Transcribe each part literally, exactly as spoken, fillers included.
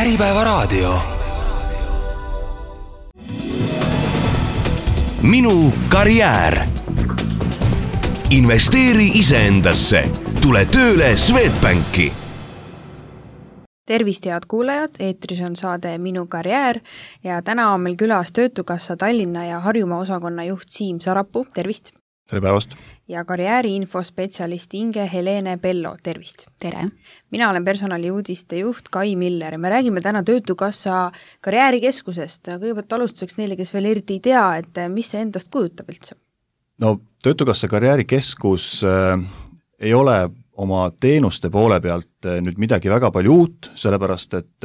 Äripäevaraadio. Minu karjäär. Investeeri iseendasse. Tule tööle Swedbanki. Tervist, head kuulajad, eetris on saade Minu karjäär ja täna on meil külas Töötukassa Tallinna ja Harjumaa osakonna juht Siim Sarapuu, tervist! Tere päevast! Ja karjääriinfospetsialist Inge Helene Pello, tervist! Tere! Mina olen personaliuudiste juht Kai Miller ja me räägime täna Töötukassa karjäärikeskusest. Kõigepealt alustuseks neile, kes veel eriti ei tea, et mis see endast kujutab üldse? No, Töötukassa karjäärikeskus äh, ei ole oma teenuste poole pealt nüüd midagi väga palju uut, sellepärast et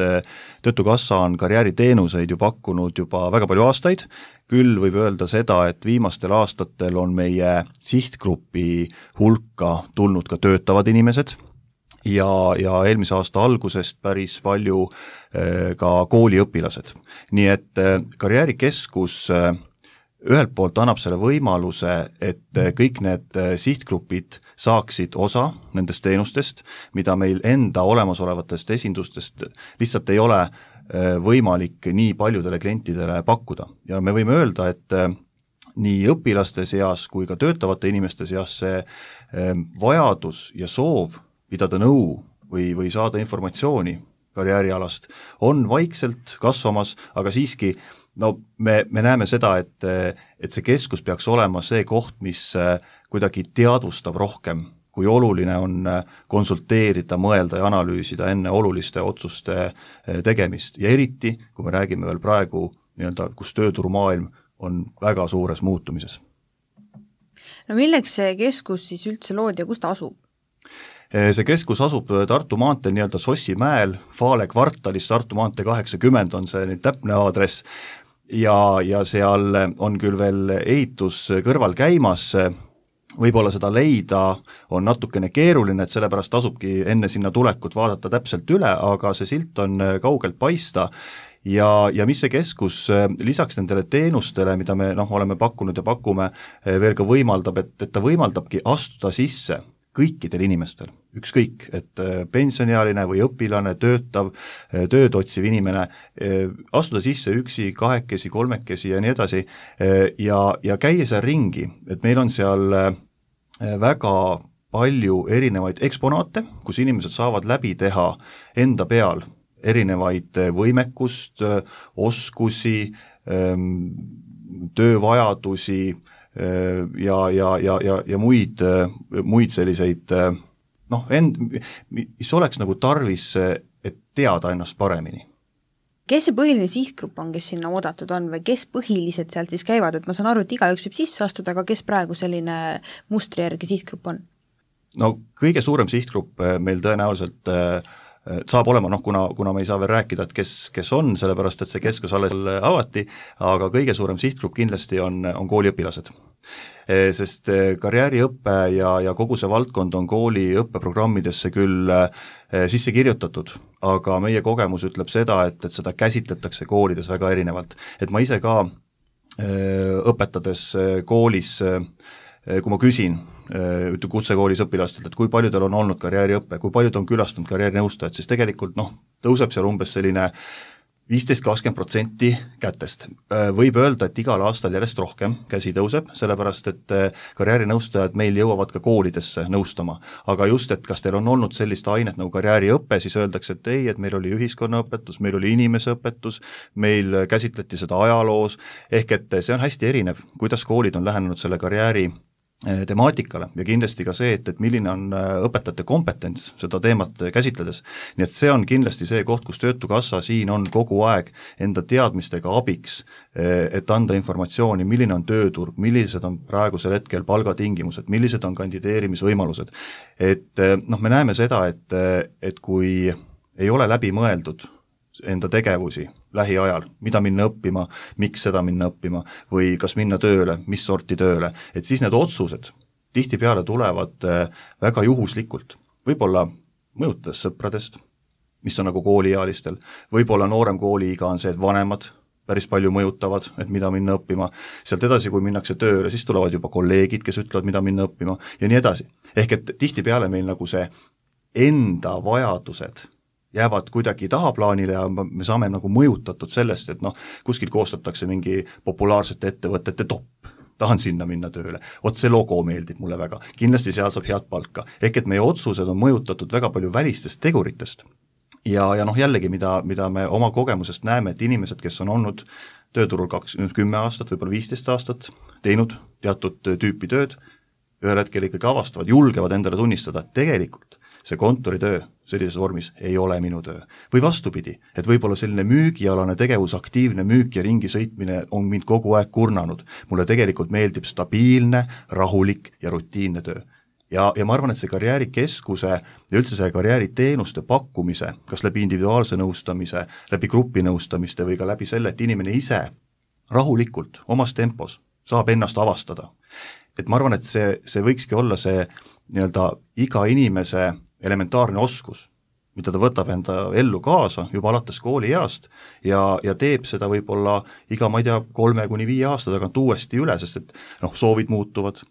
Töötukassa on karjääriteenuseid ju pakkunud juba väga palju aastaid, küll võib öelda seda, et viimastel aastatel on meie sihtgrupi hulka tulnud ka töötavad inimesed ja, ja eelmise aasta algusest päris palju ka kooliõpilased. Nii et karjäärikeskus ühelt poolt annab selle võimaluse, et kõik need sihtgrupid saaksid osa nendest teenustest, mida meil enda olemasolevatest esindustest lihtsalt ei ole võimalik nii paljudele klientidele pakkuda. Ja me võime öelda, et nii õpilaste seas kui ka töötavate inimeste seas see vajadus ja soov pidada nõu või, või saada informatsiooni karjäärialast on vaikselt kasvamas, aga siiski no me, me näeme seda, et, et see keskus peaks olema see koht, mis kuidagi teadvustab rohkem, kui oluline on konsulteerida, mõelda ja analüüsida enne oluliste otsuste tegemist. Ja eriti, kui me räägime veel praegu, nii-öelda, kus tööturumaailm on väga suures muutumises. No milleks see keskus siis üldse loodi ja kus ta asub? See keskus asub Tartu maanteel nii-öelda Sossimäel, Faale kvartalis, Tartu maantee kaheksakümmend on see nüüd täpne aadress ja, ja seal on küll veel ehitus kõrval käimas, võib-olla seda leida on natukene keeruline, et sellepärast tasubki enne sinna tulekut vaadata täpselt üle, aga see silt on kaugelt paista ja, ja mis see keskus lisaks nendele teenustele, mida me noh, oleme pakkunud ja pakume, veel ka võimaldab, et, et ta võimaldabki astuda sisse kõikidel inimestel, ükskõik, et pensioniealine või õpilane, töötav, tööd otsiv inimene, astuda sisse üksi, kahekesi, kolmekesi ja nii edasi ja, ja käia seal ringi, et meil on seal väga palju erinevaid eksponaate, kus inimesed saavad läbi teha enda peal erinevaid võimekust, oskusi, töövajadusi, ja, ja, ja, ja, ja muid, muid selliseid, noh, end, mis oleks nagu tarvis, et teada ennast paremini. Kes see põhiline sihtgrupp on, kes sinna oodatud on või kes põhiliselt sealt siis käivad, et ma saan aru, et igaüks võib sisse astuda, aga kes praegu selline mustri järgi sihtgrupp on? No kõige suurem sihtgrupp meil tõenäoliselt saab olema, noh, kuna, kuna me ei saa veel rääkida, et kes, kes on, sellepärast, et see keskus alles avati, aga kõige suurem sihtgrupp kindlasti on, on kooliõpilased. Sest karjääriõppe ja, ja kogu see valdkond on kooli õppeprogrammidesse küll sisse kirjutatud, aga meie kogemus ütleb seda, et, et seda käsitletakse koolides väga erinevalt. Et ma ise ka õpetades koolis, kui ma küsin kutsekoolis õpilastelt, et kui paljudel on olnud karjääriõppe, kui paljud on külastanud karjäärinõustajad, siis tegelikult noh, tõuseb seal umbes selline viisteist kakskümmend protsenti kätest. Võib öelda, et igal aastal järjest rohkem käsi tõuseb, sellepärast et karjäärinõustajad meil jõuavad ka koolidesse nõustama. Aga just, et kas teil on olnud sellist ainet nagu karjääriõppe, siis öeldakse, et ei, et meil oli ühiskonnaõpetus, meil oli inimeseõpetus, meil käsitleti seda ajaloos, ehk et see on hästi erinev, kuidas koolid on lähenenud selle karjääri temaatikale ja kindlasti ka see, et, et milline on õpetajate kompetents seda teemat käsitledes. Nii et see on kindlasti see koht, kus Töötukassa siin on kogu aeg enda teadmistega abiks, et anda informatsiooni, milline on tööturg, millised on praegusel hetkel palgatingimused, millised on kandideerimisvõimalused. Et noh, me näeme seda, et, et kui ei ole läbi mõeldud enda tegevusi lähiajal, mida minna õppima, miks seda minna õppima või kas minna tööle, mis sorti tööle, et siis need otsused tihtipeale tulevad väga juhuslikult, võib-olla mõjutades sõpradest, mis on nagu kooliealistel, võib-olla noorem kooliiga on see, et vanemad päris palju mõjutavad, et mida minna õppima, sealt edasi, kui minnakse tööle, siis tulevad juba kolleegid, kes ütlevad, mida minna õppima ja nii edasi. Ehk et tihtipeale meil nagu see enda vajadused jäävad kuidagi tahaplaanile ja me saame nagu mõjutatud sellest, et noh, kuskil koostatakse mingi populaarsete ettevõtete topp, tahan sinna minna tööle, oot see logo meeldib mulle väga, kindlasti seal saab head palka, ehk et meie otsused on mõjutatud väga palju välistest teguritest ja, ja noh jällegi, mida, mida me oma kogemusest näeme, et inimesed, kes on olnud tööturul kaks, kümme aastat, võib-olla viisteist aastat, teinud teatud tüüpi tööd, ühel hetkel ikkagi avastavad, julgevad endale tunnistada, et tegelikult see kontoritöö sellises vormis ei ole minu töö. Või vastupidi, et võib-olla selline müügialane tegevus, aktiivne müük ja ringi sõitmine on mind kogu aeg kurnanud. Mulle tegelikult meeldib stabiilne, rahulik ja rutiinne töö. Ja, ja ma arvan, et see karjäärikeskuse ja üldse see karjääriteenuste pakkumise, kas läbi individuaalse nõustamise, läbi grupi nõustamiste või ka läbi selle, et inimene ise rahulikult, omas tempos saab ennast avastada. Et ma arvan, et see, see võikski olla see nii-öelda iga inimese elementaarne oskus, mida ta võtab enda ellu kaasa juba alates koolieast ja, ja teeb seda võib-olla iga, ma ei tea, kolme kuni viie aasta tagant uuesti üle, sest et noh, soovid muutuvad,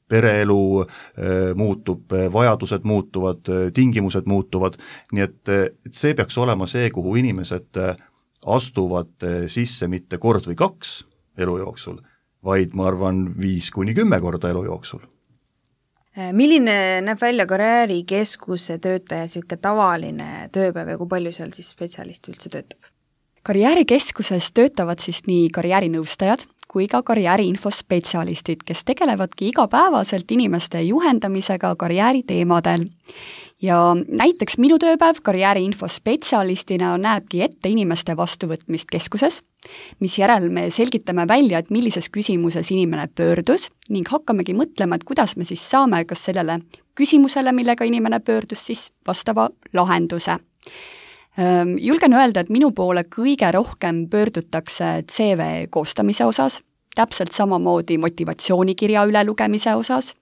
pereelu e, muutub, vajadused muutuvad, tingimused muutuvad, nii et, et see peaks olema see, kuhu inimesed astuvad sisse mitte kord või kaks elu jooksul, vaid ma arvan viis kuni kümme korda elu jooksul. Milline näeb välja karjäärikeskuse töötaja siuke tavaline tööpäev ja kui palju seal siis spetsialist üldse töötab? Karjäärikeskuses töötavad siis nii karjäärinõustajad kui ka karjääriinfospetsialistid, kes tegelevadki igapäevaselt inimeste juhendamisega karjääriteemadel. Ja näiteks minu tööpäev karjääriinfospetsialistina näebki ette inimeste vastuvõtmist keskuses, mis järel me selgitame välja, et millises küsimuses inimene pöördus ning hakkamegi mõtlema, et kuidas me siis saame kas sellele küsimusele, millega inimene pöördus, siis vastava lahenduse. Julgen öelda, et minu poole kõige rohkem pöördutakse C V koostamise osas, täpselt samamoodi motivatsioonikirja ülelugemise osas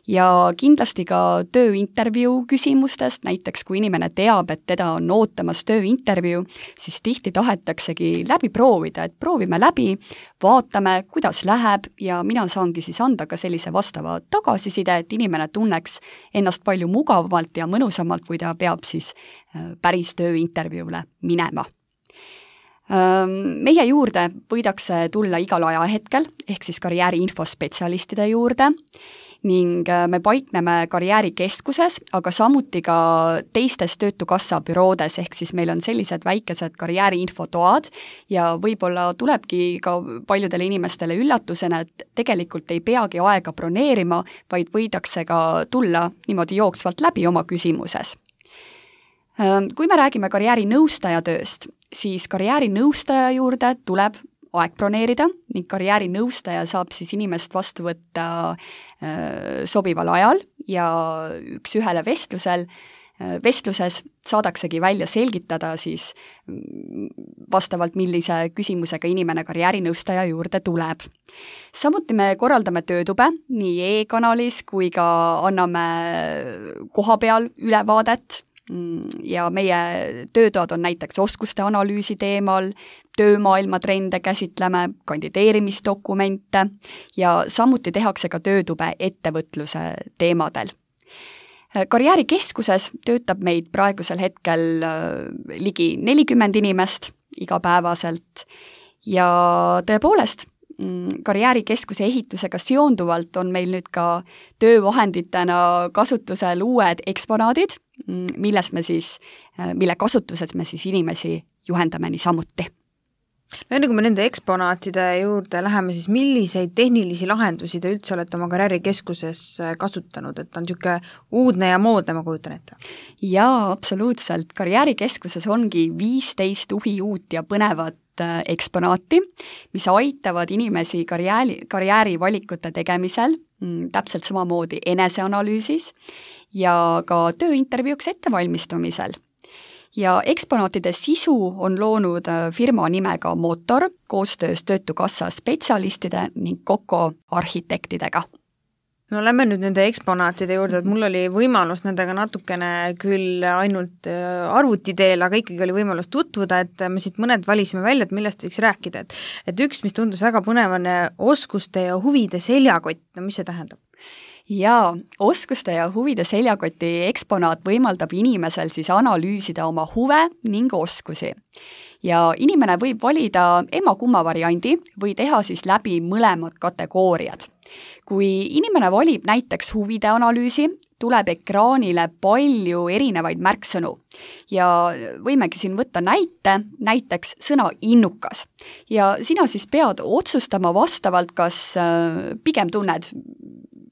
ja kindlasti ka tööintervjuu küsimustest, näiteks kui inimene teab, et teda on ootamas tööintervjuu, siis tihti tahetaksegi läbi proovida, et proovime läbi, vaatame, kuidas läheb ja mina saangi siis anda ka sellise vastava tagasiside, et inimene tunneks ennast palju mugavamalt ja mõnusamalt, kui ta peab siis päris tööintervjuule minema. Meie juurde võidakse tulla igal ajahetkel, ehk siis karjääriinfospetsialistide juurde, ning me paikneme karjäärikeskuses, aga samuti ka teistes Töötukassa büroodes, ehk siis meil on sellised väikesed karjääriinfotoad ja võib-olla tulebki ka paljudele inimestele üllatusena, et tegelikult ei peagi aega broneerima, vaid võidakse ka tulla niimoodi jooksvalt läbi oma küsimuses. Kui me räägime karjäärinõustaja tööst, siis karjäärinõustaja juurde tuleb aeg broneerida ning karjäärinõustaja saab siis inimest vastu võtta sobival ajal ja üks ühele vestlusel, vestluses saadaksegi välja selgitada siis vastavalt, millise küsimusega inimene karjäärinõustaja juurde tuleb. Samuti me korraldame töötube nii e-kanalis kui ka anname kohapeal ülevaadet ja meie töötoad on näiteks oskuste analüüsi teemal, töömaailma trende käsitleme, kandideerimisdokumente ja samuti tehakse ka töötube ettevõtluse teemadel. Karjäärikeskuses töötab meid praegusel hetkel ligi nelikümmend inimest igapäevaselt ja tõepoolest, karjäärikeskuse ehitusega seonduvalt on meil nüüd ka töövahenditena kasutusel uued eksponaadid, milles me siis, mille kasutuses me siis inimesi juhendame niisamuti. No enne kui me nende eksponaatide juurde läheme, siis milliseid tehnilisi lahendusi te üldse olete oma karjäärikeskuses kasutanud, et on niisugune uudne ja moodne, ma kujutan ette? Jaa, absoluutselt. Karjäärikeskuses ongi viisteist uhi uut ja põnevat eksponaati, mis aitavad inimesi karjääri, karjäärivalikute tegemisel, täpselt samamoodi eneseanalüüsis ja ka tööintervjuuks ettevalmistumisel. Ja eksponaatide sisu on loonud firma nimega Motor koostöös Töötukassa spetsialistide ning Koko arhitektidega. No lähme nüüd nende eksponaatide juurde, et mul oli võimalus nendega natukene küll ainult arvuti teel, aga ikkagi oli võimalus tutvuda, et me siit mõned valisime välja, et millest võiks rääkida. Et, et üks, mis tundus väga põnev, on oskuste ja huvide seljakott, no mis see tähendab? Jaa, oskuste ja huvide seljakoti eksponaat võimaldab inimesel siis analüüsida oma huve ning oskusi. Ja inimene võib valida emma-kumma variandi või teha siis läbi mõlemad kategooriad. Kui inimene valib näiteks huvide analüüsi, tuleb ekraanile palju erinevaid märksõnu ja võimegi siin võtta näite, näiteks sõna innukas. Ja sina siis pead otsustama vastavalt, kas pigem tunned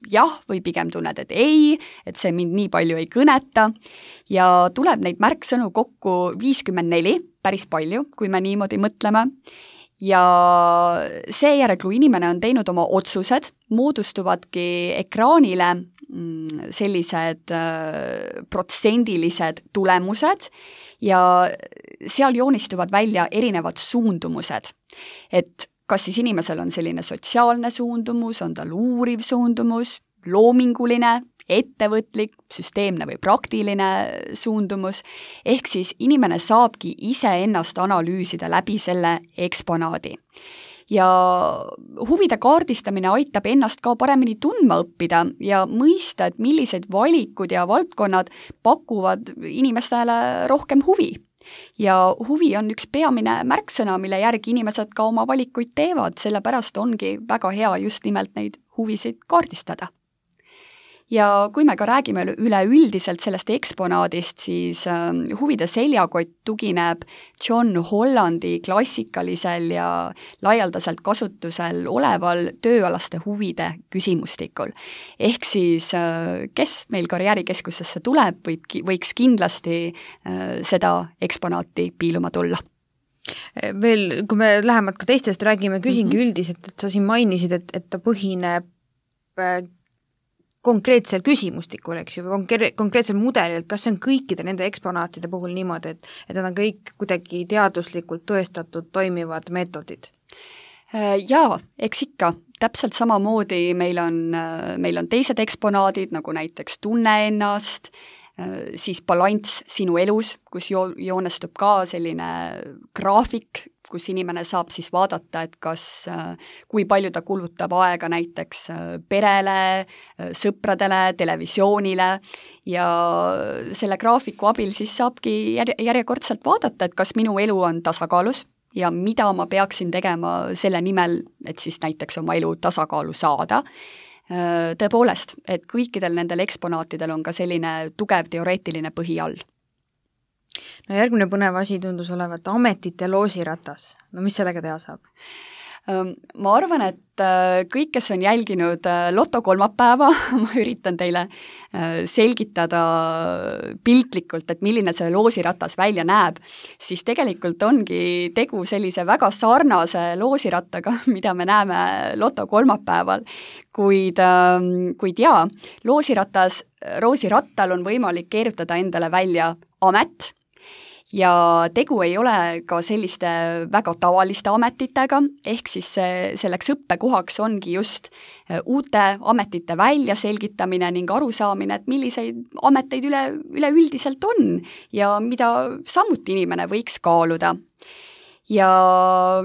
jah või pigem tunned, et ei, et see mind nii palju ei kõneta ja tuleb neid märksõnu kokku viiskümmend neli, päris palju, kui me niimoodi mõtleme. Ja seejärel, kui inimene on teinud oma otsused, moodustuvadki ekraanile sellised protsendilised tulemused ja seal joonistuvad välja erinevad suundumused. Et kas siis inimesel on selline sotsiaalne suundumus, on tal uuriv suundumus, loominguline, ettevõtlik, süsteemne või praktiline suundumus, ehk siis inimene saabki iseennast analüüsida läbi selle eksponaadi. Ja huvide kaardistamine aitab ennast ka paremini tundma õppida ja mõista, et millised valikud ja valdkonnad pakuvad inimestele rohkem huvi. Ja huvi on üks peamine märksõna, mille järgi inimesed ka oma valikuid teevad, sellepärast ongi väga hea just nimelt neid huvisid kaardistada. Ja kui me ka räägime üleüldiselt sellest eksponaadist, siis huvide seljakott tugineb John Hollandi klassikalisel ja laialdaselt kasutusel oleval tööalaste huvide küsimustikul. Ehk siis, kes meil karjäärikeskusesse tuleb, võib, võiks kindlasti seda eksponaati piiluma tulla. Veel, kui me lähemalt ka teistest räägime, küsingi mm-hmm. üldiselt, et sa siin mainisid, et, et ta põhineb konkreetsel küsimustikul, eks ju, või konkreetsel mudelil, kas see on kõikide nende eksponaatide puhul niimoodi, et, et nad on kõik kuidagi teaduslikult tõestatud toimivad meetodid? Jaa, eks ikka. Täpselt samamoodi meil on, meil on teised eksponaadid, nagu näiteks tunne ennast, siis balanss sinu elus, kus jo, joonestub ka selline graafik, kus inimene saab siis vaadata, et kas, kui palju ta kulutab aega näiteks perele, sõpradele, televisioonile ja selle graafiku abil siis saabki järjekordselt vaadata, et kas minu elu on tasakaalus ja mida ma peaksin tegema selle nimel, et siis näiteks oma elu tasakaalu saada. Tõepoolest, et kõikidel nendel eksponaatidel on ka selline tugev teoreetiline põhi all. No järgmine põnev asi tundus olevat ametite loosiratas. No mis sellega teha saab? Ma arvan, et kõik, kes on jälginud Loto kolmapäeva, ma üritan teile selgitada piltlikult, et milline see loosiratas välja näeb, siis tegelikult ongi tegu sellise väga sarnase loosirattaga, mida me näeme Loto kolmapäeval, kuid, kuid jaa, loosiratas, loosirattal on võimalik keerutada endale välja amet, ja tegu ei ole ka selliste väga tavaliste ametitega, ehk siis selleks õppekohaks ongi just uute ametite väljaselgitamine ning arusaamine, et milliseid ameteid üle, üleüldiselt on ja mida samuti inimene võiks kaaluda. Ja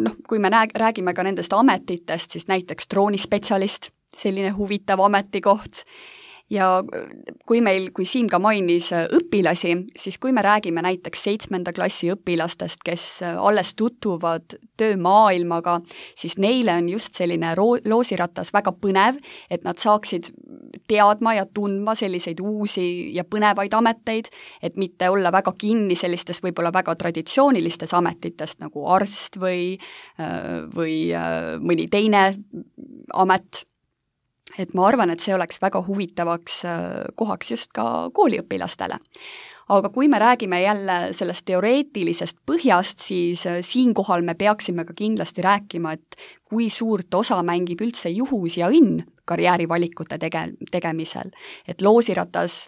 noh, kui me räägime ka nendest ametitest, siis näiteks droonispetsialist, selline huvitav ametikoht. Ja kui meil, kui Siim ka mainis õpilasi, siis kui me räägime näiteks seitsmenda klassi õpilastest, kes alles tutvuvad töömaailmaga, siis neile on just selline loosiratas väga põnev, et nad saaksid teadma ja tundma selliseid uusi ja põnevaid ameteid, et mitte olla väga kinni sellistes võib-olla väga traditsioonilistes ametitest nagu arst või, või mõni teine amet. Et ma arvan, et see oleks väga huvitavaks kohaks just ka kooliõpilastele. Aga kui me räägime jälle sellest teoreetilisest põhjast, siis siinkohal me peaksime ka kindlasti rääkima, et kui suurt osa mängib üldse juhus ja õnn karjäärivalikute tege- tegemisel. Et loosiratas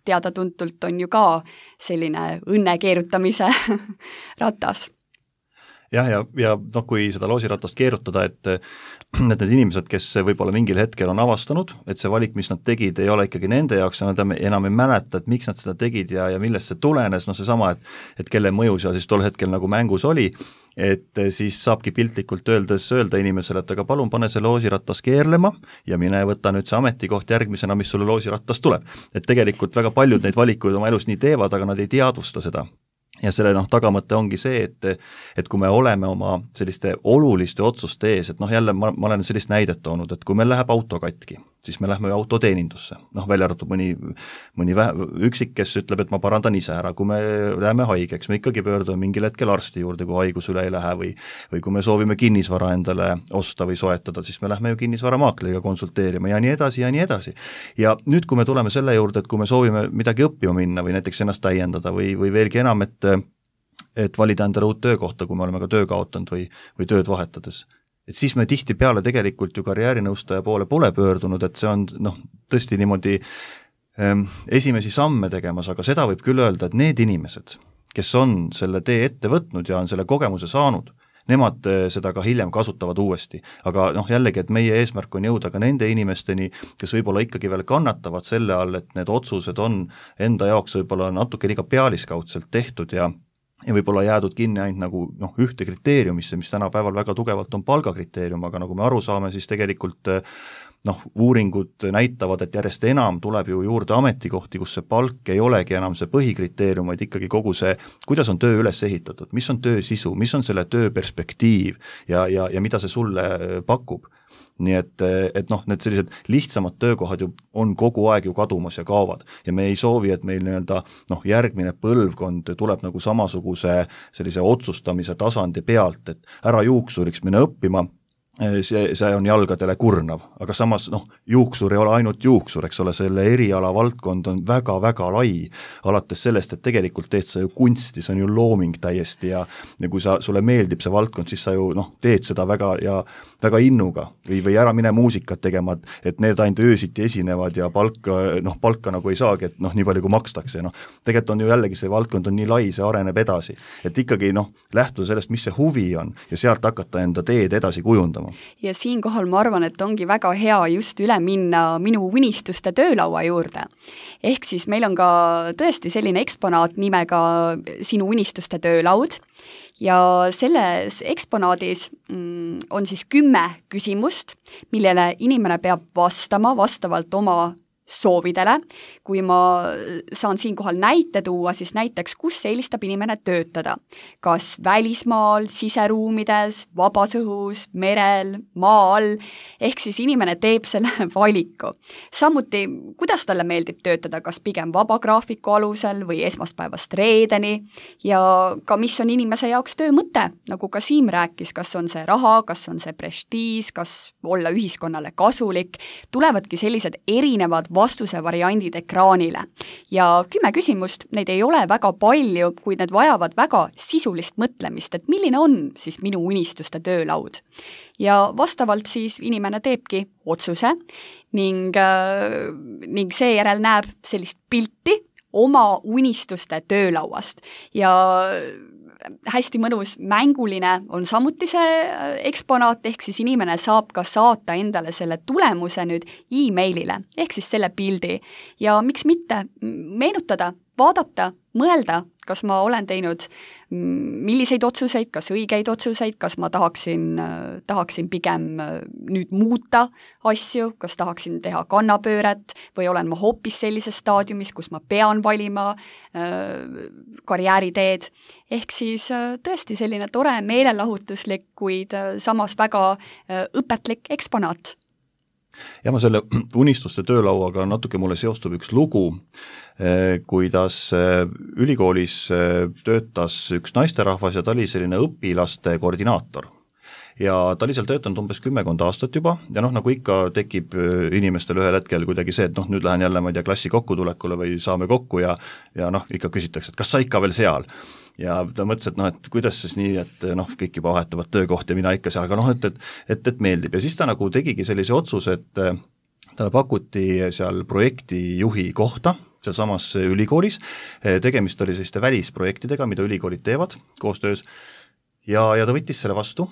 teada-tuntult on ju ka selline õnne keerutamise ratas. Jah, ja, ja noh, kui seda loosiratast keerutada, et need, need inimesed, kes võib-olla mingil hetkel on avastanud, et see valik, mis nad tegid, ei ole ikkagi nende jaoks ja nad enam ei mäleta, et miks nad seda tegid ja, ja millest see tulenes, noh seesama, et, et kelle mõju seal siis tol hetkel nagu mängus oli, et siis saabki piltlikult öeldes öelda inimesele, et aga palun pane see loosirattas keerlema ja mine võtta nüüd see ametikoht järgmisena, mis sulle loosirattas tuleb. Et tegelikult väga paljud neid valikuid oma elus nii teevad, aga nad ei teadvusta seda. Ja selle noh, tagamõte ongi see, et, et kui me oleme oma selliste oluliste otsuste ees, et noh jälle ma, ma olen sellist näidet toonud, et kui meil läheb auto katki, siis me lähme autoteenindusse, noh välja arvatud mõni, mõni vähe, üksik, kes ütleb, et ma parandan ise ära, kui me läheme haigeks, me ikkagi pöördume mingil hetkel arsti juurde, kui haigus üle ei lähe või, või kui me soovime kinnisvara endale osta või soetada, siis me lähme ju kinnisvaramaakliga konsulteerima ja nii edasi ja nii edasi. Ja nüüd, kui me tuleme selle juurde, et kui me soovime midagi õppima minna või näiteks ennast täiendada või, või veelgi enam, et et valida endale uut töökohta, kui me oleme ka töö kaotanud või, või tööd vahetades. Et siis me tihti peale tegelikult ju karjäärinõustaja poole pole pöördunud, et see on noh, tõesti niimoodi ähm, esimesi samme tegemas, aga seda võib küll öelda, et need inimesed, kes on selle tee ette võtnud ja on selle kogemuse saanud, nemad seda ka hiljem kasutavad uuesti. Aga noh, jällegi, et meie eesmärk on jõuda ka nende inimesteni, kes võib-olla ikkagi veel kannatavad selle all, et need otsused on enda jaoks võib-olla natuke liiga pealiskaudselt tehtud ja ja võib-olla jäädud kinni ainult nagu noh, ühte kriteeriumisse, mis tänapäeval väga tugevalt on palgakriteerium, aga nagu me aru saame, siis tegelikult noh, uuringud näitavad, et järjest enam tuleb ju juurde ametikohti, kus see palk ei olegi enam see põhikriteerium, vaid ikkagi kogu see, kuidas on töö üles ehitatud, mis on töö sisu, mis on selle töö perspektiiv ja, ja, ja mida see sulle pakub. Nii et, et noh, need sellised lihtsamad töökohad ju on kogu aeg ju kadumas ja kaovad ja me ei soovi, et meil nii-öelda noh, järgmine põlvkond tuleb nagu samasuguse sellise otsustamise tasandi pealt, et ära juuksuriks minna õppima, see, see on jalgadele kurnav, aga samas noh, juuksur ei ole ainult juuksur, eks ole, selle eriala valdkond on väga-väga lai, alates sellest, et tegelikult teed sa ju kunsti, see on ju looming täiesti ja, ja kui sa, sulle meeldib see valdkond, siis sa ju noh, teed seda väga ja väga innuga või, või ära mine muusikat tegema, et need ainult öösiti esinevad ja palka, noh, palka nagu ei saagi, et noh, nii palju kui makstakse, noh, tegelikult on ju jällegi see valdkond on nii lai, see areneb edasi, et ikkagi noh, lähtuda sellest, mis see huvi on ja sealt hakata enda teed edasi kujundama. Ja siinkohal ma arvan, et ongi väga hea just üle minna minu unistuste töölaua juurde. Ehk siis meil on ka tõesti selline eksponaat nimega Sinu unistuste töölaud ja selles eksponaadis mm, on siis kümme küsimust, millele inimene peab vastama vastavalt oma soovidele. Kui ma saan siinkohal näite tuua, siis näiteks, kus eelistab inimene töötada. Kas välismaal, siseruumides, vabas õhus, merel, maa all, ehk siis inimene teeb selle valiku. Samuti, kuidas talle meeldib töötada, kas pigem vabagraafiku alusel või esmaspäevast reedeni ja ka mis on inimese jaoks töö mõte, nagu ka Siim rääkis, kas on see raha, kas on see prestiis, kas olla ühiskonnale kasulik, tulevadki sellised erinevad vastuse variandid ekraanile. Ja kümme küsimust, neid ei ole väga palju, kuid need vajavad väga sisulist mõtlemist, et milline on siis minu unistuste töölaud. Ja vastavalt siis inimene teebki otsuse ning, äh, ning seejärel näeb sellist pilti oma unistuste töölauast ja hästi mõnus mänguline on samuti see eksponaat, ehk siis inimene saab ka saata endale selle tulemuse nüüd e-mailile, ehk siis selle pildi. Ja miks mitte meenutada, vaadata, mõelda, kas ma olen teinud milliseid otsuseid, kas õigeid otsuseid, kas ma tahaksin, tahaksin pigem nüüd muuta asju, kas tahaksin teha kannapööret või olen ma hoopis sellises staadiumis, kus ma pean valima äh, karjääriteed. Ehk siis äh, tõesti selline tore meelelahutuslik, kuid äh, samas väga äh, õpetlik eksponaat. Ja ma selle unistuste töölauaga natuke mulle seostub üks lugu, kuidas ülikoolis töötas üks naisterahvas ja ta oli selline õpilaste koordinaator. Ja ta oli seal töötanud umbes kümmekond aastat juba ja noh, nagu ikka tekib inimestel ühel hetkel kuidagi see, et noh, nüüd lähen jälle, ma ei tea, klassi kokkutulekule või saame kokku ja, ja noh, ikka küsitakse, et kas sa ikka veel seal? Ja ta mõtles, et noh, et kuidas siis nii, et noh, kõik juba vahetavad töökohti ja mina ikka seal, aga noh, et, et, et, et meeldib. Ja siis ta nagu tegigi sellise otsuse, et talle pakuti seal projektijuhi kohta, seal samas ülikoolis, tegemist oli selliste välisprojektidega, mida ülikoolid teevad koostöös ja, ja ta võttis selle vastu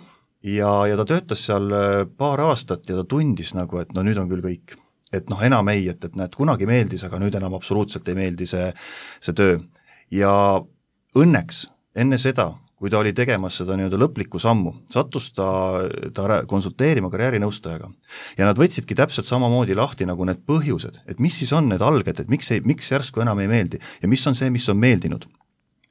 ja, ja ta töötas seal paar aastat ja ta tundis nagu, et no nüüd on küll kõik. Et noh, enam ei, et, et näed, kunagi meeldis, aga nüüd enam absoluutselt ei meeldi see, see töö. Ja õnneks enne seda, kui ta oli tegemas seda nii-öelda lõplikku sammu, sattus ta, ta konsulteerima karjäärinõustajaga. Ja nad võtsidki täpselt samamoodi lahti nagu need põhjused, et mis siis on need alged, et miks, ei, miks järsku enam ei meeldi ja mis on see, mis on meeldinud.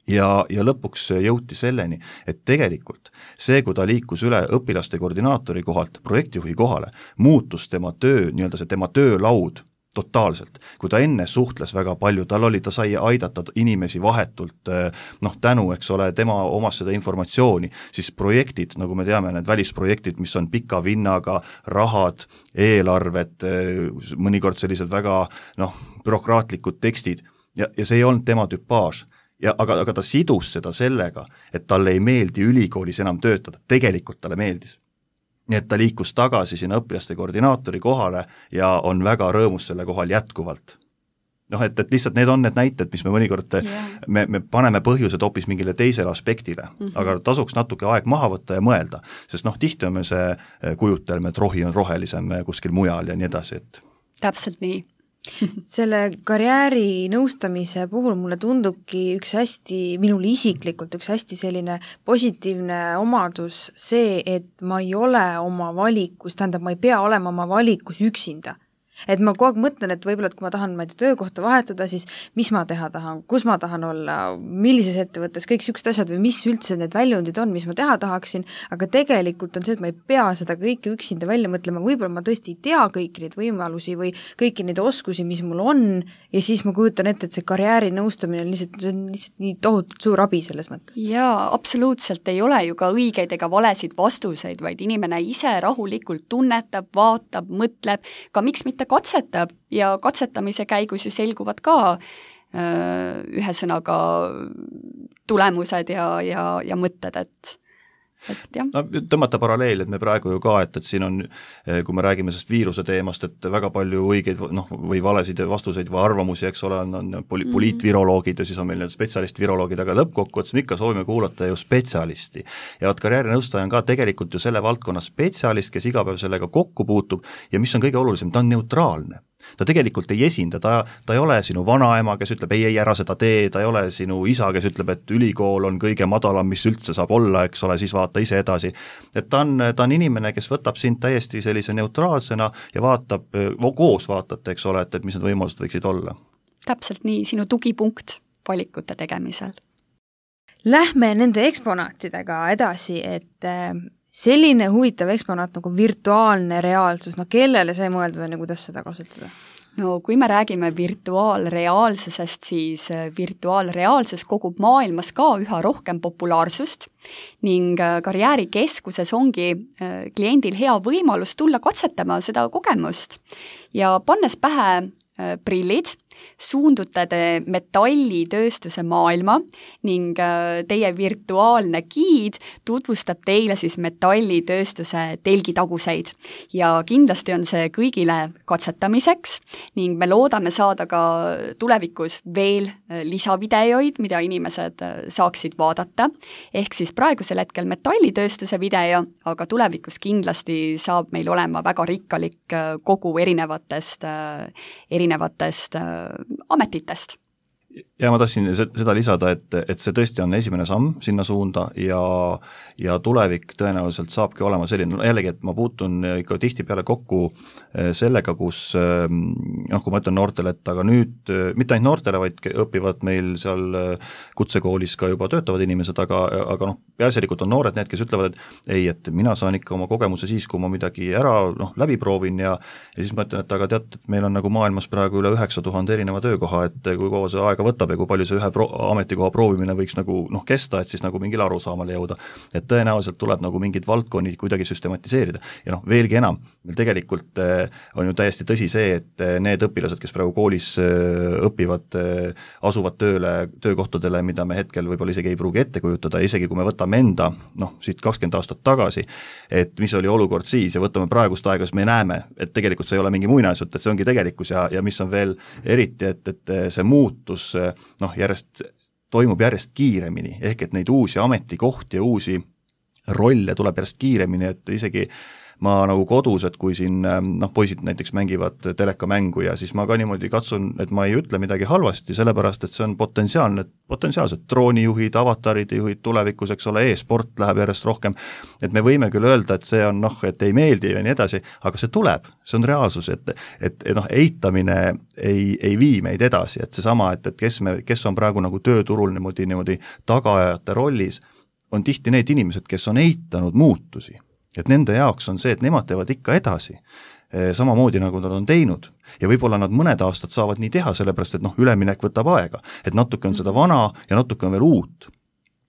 Ja, ja lõpuks jõuti selleni, et tegelikult see, kui ta liikus üle õpilaste koordinaatori kohalt projektijuhi kohale, muutus tema töö, nii-öelda see tema töölaud totaalselt, kui ta enne suhtles väga palju, tal oli, ta sai aidata inimesi vahetult, noh tänu, eks ole, tema omas seda informatsiooni, siis projektid, nagu me teame, need välisprojektid, mis on pika vinnaga, rahad, eelarved, mõnikord sellised väga noh, bürokraatlikud tekstid ja, ja see ei olnud tema tüpaaž. Ja, aga, aga ta sidus seda sellega, et talle ei meeldi ülikoolis enam töötada, tegelikult talle meeldis. Nii et ta liikus tagasi sinna õpilaste koordinaatori kohale ja on väga rõõmus selle kohal jätkuvalt. Noh, et, et lihtsalt need on need näited, mis me mõnikord, yeah. me, me paneme põhjused hoopis mingile teisele aspektile, mm -hmm. aga tasuks natuke aeg maha võtta ja mõelda, sest noh, tihti on me see kujutelme, et rohi on rohelisem kuskil mujal ja nii edasi, et täpselt nii. Selle karjääri nõustamise puhul mulle tundubki üks hästi, minul isiklikult üks hästi selline positiivne omadus see, et ma ei ole oma valikus, tähendab, ma ei pea olema oma valikus üksinda. Et ma kogu aeg mõtlen, et võib-olla, et kui ma tahan ma ei tea, töökohta vahetada, siis mis ma teha tahan, kus ma tahan olla, millises ettevõttes, kõik siuksed asjad või mis üldse need väljundid on, mis ma teha tahaksin, aga tegelikult on see, et ma ei pea seda kõike üksinda välja mõtlema, võib-olla ma tõesti ei tea kõiki neid võimalusi või kõiki neid oskusi, mis mul on, ja siis ma kujutan ette, et see karjääri nõustamine on lihtsalt, see on lihtsalt nii tohutult suur abi selles mõttes. Jaa, absoluutselt ei ole ju ka õigeid ega valesid vastuseid, vaid inimene ise rahulikult tunnetab, vaatab, mõtleb, ka miks mitte katsetab ja katsetamise käigus ju selguvad ka öö, ühe sõnaga tulemused ja, ja, ja mõtted, et et jah. No, tõmmata paralleel, et me praegu ju ka, et, et siin on, kui me räägime sellest viiruse teemast, et väga palju õigeid noh, või valesid vastuseid või arvamusi, eks ole, on, on poli- mm-hmm. poliitviroloogid ja siis on meil need spetsialist-viroloogid, aga lõppkokkuvõttes me ikka soovime kuulata ju spetsialisti. Ja vaat karjäärinõustaja on ka tegelikult ju selle valdkonna spetsialist, kes iga päev sellega kokku puutub ja mis on kõige olulisem, ta on neutraalne. Ta tegelikult ei esinda, ta, ta ei ole sinu vanaema, kes ütleb ei, ei, ära seda tee, ta ei ole sinu isa, kes ütleb, et ülikool on kõige madalam, mis üldse saab olla, eks ole, siis vaata ise edasi. Et ta on, ta on inimene, kes võtab sind täiesti sellise neutraalsena ja vaatab, koos vaatate, eks ole, et, et mis need võimalused võiksid olla. Täpselt nii, sinu tugipunkt valikute tegemisel. Lähme nende eksponaatidega edasi, et selline huvitav eksponaat nagu virtuaalne reaalsus, no kellele see mõeldud on ja kuidas seda kasutada? No kui me räägime virtuaalreaalsusest, siis virtuaalreaalsus kogub maailmas ka üha rohkem populaarsust ning karjäärikeskuses ongi kliendil hea võimalus tulla katsetama seda kogemust ja pannes pähe prillid, suundute te metallitööstuse maailma ning teie virtuaalne giid tutvustab teile siis metallitööstuse telgitaguseid ja kindlasti on see kõigile katsetamiseks ning me loodame saada ka tulevikus veel lisavideoid, mida inimesed saaksid vaadata, ehk siis praegusel hetkel metallitööstuse video, aga tulevikus kindlasti saab meil olema väga rikkalik kogu erinevatest, erinevatest ametitest. Ja ma tahtsin seda lisada, et, et see tõesti on esimene samm sinna suunda ja, ja tulevik tõenäoliselt saabki olema selline, no jällegi, et ma puutun ikka tihtipeale kokku sellega, kus noh, kui ma ütlen noortele, et aga nüüd, mitte ainult noortele, vaid õpivad meil seal kutsekoolis ka juba töötavad inimesed, aga, aga noh, peaasjalikult on noored need, kes ütlevad, et ei, et mina saan ikka oma kogemuse siis, kui ma midagi ära noh, läbi proovin ja, ja siis ma ütlen, et aga tead, et meil on nagu maailmas praegu üle üheksa tuhande erineva töökoha, et kui kaua see aega võtab ja kui palju see ühe pro- ametikoha proovimine võiks nagu noh, kesta, et siis nagu mingile arusaamale jõuda. Et tõenäoliselt tuleb nagu mingid valdkonnid kuidagi süstematiseerida. Ja noh, veelgi enam, meil tegelikult on ju täiesti tõsi see, et need õpilased, kes praegu koolis õpivad, asuvad tööle, töökohtadele, mida me hetkel võib-olla isegi ei pruugi ette kujutada, isegi kui me võtame enda, noh, siit kakskümmend aastat tagasi, et mis oli olukord siis ja võtame praegust aega, siis me näeme, et tegelikult see ei ole mingi muinasjutt, et see ongi tegelikkus ja, ja mis on veel eriti, et, et see muutus noh, järjest toimub järjest kiiremini, ehk et neid uusi ametikohti ja uusi rolle tuleb järjest kiiremini, et isegi ma nagu kodus, et kui siin noh, poisid näiteks mängivad telekamängu ja siis ma ka niimoodi katsun, et ma ei ütle midagi halvasti, sellepärast et see on potentsiaalne, potentsiaalsed droonijuhid, avataride juhid tulevikus, eks ole, e-sport läheb järjest rohkem, et me võime küll öelda, et see on noh, et ei meeldi ja nii edasi, aga see tuleb, see on reaalsus, et, et, et noh, eitamine ei, ei vii meid edasi, et seesama, et, et kes, me, kes on praegu nagu tööturul niimoodi, niimoodi tagaajate rollis, on tihti need inimesed, kes on eitanud muutusi. Et nende jaoks on see, et nemad teevad ikka edasi, samamoodi nagu nad on teinud ja võib-olla nad mõned aastad saavad nii teha, sellepärast et noh, üleminek võtab aega, et natuke on seda vana ja natuke on veel uut,